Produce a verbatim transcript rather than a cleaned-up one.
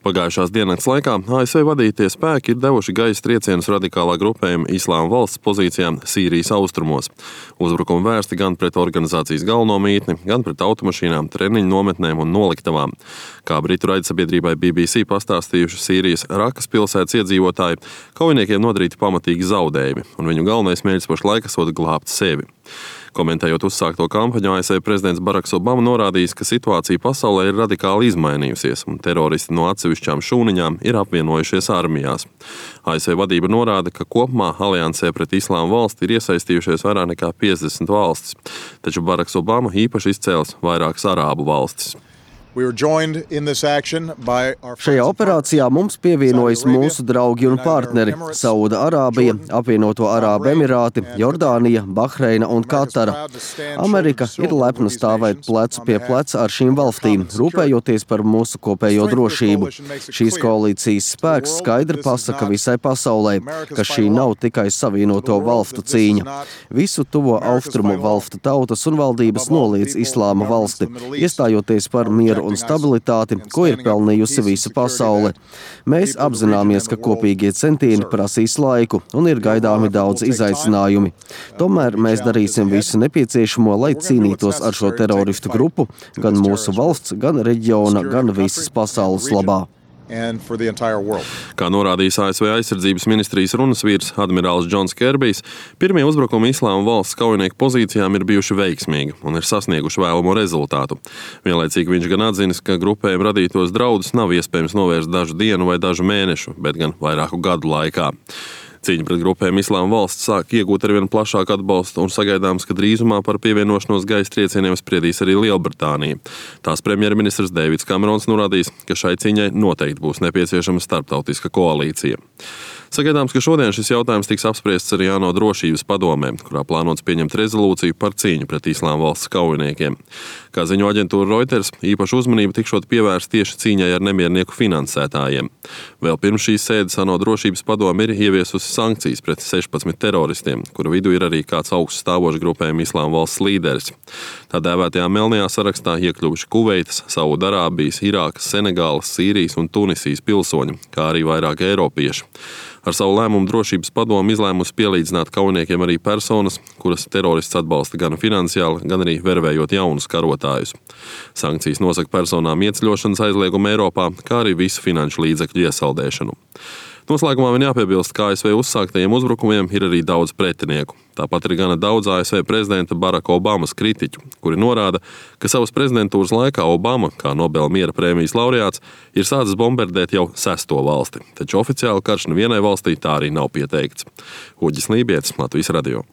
Pagājušās diennakts laikā A S V vadītie spēki ir devuši gaisa triecienus radikālā grupējuma Islāma valsts pozīcijām Sīrijas austrumos. Uzbrukumi vērsti gan pret organizācijas galveno mītni, gan pret automašīnām, treniņu nometnēm un noliktavām. Kā britu raidsabiedrībai B B C pastāstījuši Sīrijas Rakas pilsētas iedzīvotāji, kaujiniekiem nodarīti pamatīgi zaudējumi, un viņu galvenais mērķis pašlaik esot glābt sevi. Komentējot uzsākto kampaņu, A S V prezidents Baraks Obama norādījis, ka situācija pasaulē ir radikāli izmainījusies, un teroristi no atsevišķām šūniņām ir apvienojušies armijās. A S V vadība norāda, ka kopumā aliansē pret Islāma valsti ir iesaistījušies vairāk nekā piecdesmit valstis, taču Baraks Obama īpaši izcēlis vairākas arābu valstis. Šajā operācijā mums pievienojas mūsu draugi un partneri – Sauda Arābija, Apvienoto Arābu Emirāti, Jordānija, Bahreina un Katara. Amerika ir lepna stāvēt plecu pie pleca ar šīm valstīm, rūpējoties par mūsu kopējo drošību. Šīs koalīcijas spēks skaidri pasaka visai pasaulē, ka šī nav tikai Savienoto valstu cīņa. Visu tuvo austrumu valstu tautas un valdības noliedz Islāma valsti, iestājoties par mieru un stabilitāti, ko ir pelnījusi visa pasaule. Mēs apzināmies, ka kopīgie centieni prasīs laiku un ir gaidāmi daudz izaicinājumi. Tomēr mēs darīsim visu nepieciešamo, lai cīnītos ar šo teroristu grupu gan mūsu valsts, gan reģiona, gan visas pasaules labā. Kā norādījis A S V aizsardzības ministrijas runas vīrs admirālis Džons Kerbijs, pirmie uzbrukumi Islāma valsts kaujinieku pozīcijām ir bijuši veiksmīgi un ir sasnieguši vēlamo rezultātu. Vienlaicīgi viņš gan atzinis, ka grupējiem radītos draudus nav iespējams novērst dažu dienu vai dažu mēnešu, bet gan vairāku gadu laikā. Cīņa pret grupēm Islāma valsts sāk iegūt arvien plašāku atbalstu un sagaidāms, ka drīzumā par pievienošanos gaisa triecieniem spriedīs arī Lielbritānija. Tās premjerministrs Deivids Kamerons norādījis, ka šai cīņai noteikti būs nepieciešama starptautiska koalīcija. Sagaidāms, ka šodien šis jautājums tiks apspriests arī ANO drošības padomē, kurā plānots pieņemt rezolūciju par cīņu pret Islāma valsts kaujiniekiem. Kā ziņo aģentūra Reuters, īpaša uzmanība tikšot pievērsta tieši cīņai ar nemiernieku finansētājiem. Vēl pirms šīs sēdes ANO drošības padome ir ieviesusi sankcijas pret sešpadsmit teroristiem, kuru vidū ir arī kāds augsts stāvošs grupējuma Islāma valsts līderis. Tā dēvētajā melnajā sarakstā iekļuvuši Kuveitas, Sauda Arābijas, Irākas, Senegālas, Sīrijas un Tunisijas pilsoņi, kā arī vairāki eiropieši. Ar savu lēmumu drošības padomu izlēmusi pielīdzināt kaujiniekiem arī personas, kuras terorists atbalsta gan finansiāli, gan arī vervējot jaunus karotājus. Sankcijas nosaka personām ieceļošanas aizliegumu Eiropā, kā arī visu finanšu līdzekļu iesaldēšanu. Noslēgumā vien jāpiebilst, ka A S V uzsāktajiem uzbrukumiem ir arī daudz pretinieku. Tāpat ir gana daudz A S V prezidenta Baraka Obamas kritiķu, kuri norāda, ka savas prezidentūras laikā Obama, kā Nobela miera prēmijas laureāts, ir sācis bombardēt jau sesto valsti, taču oficiāli karš nevienai valstī tā arī nav pieteikts. Uģis Lībietis, Latvijas radio.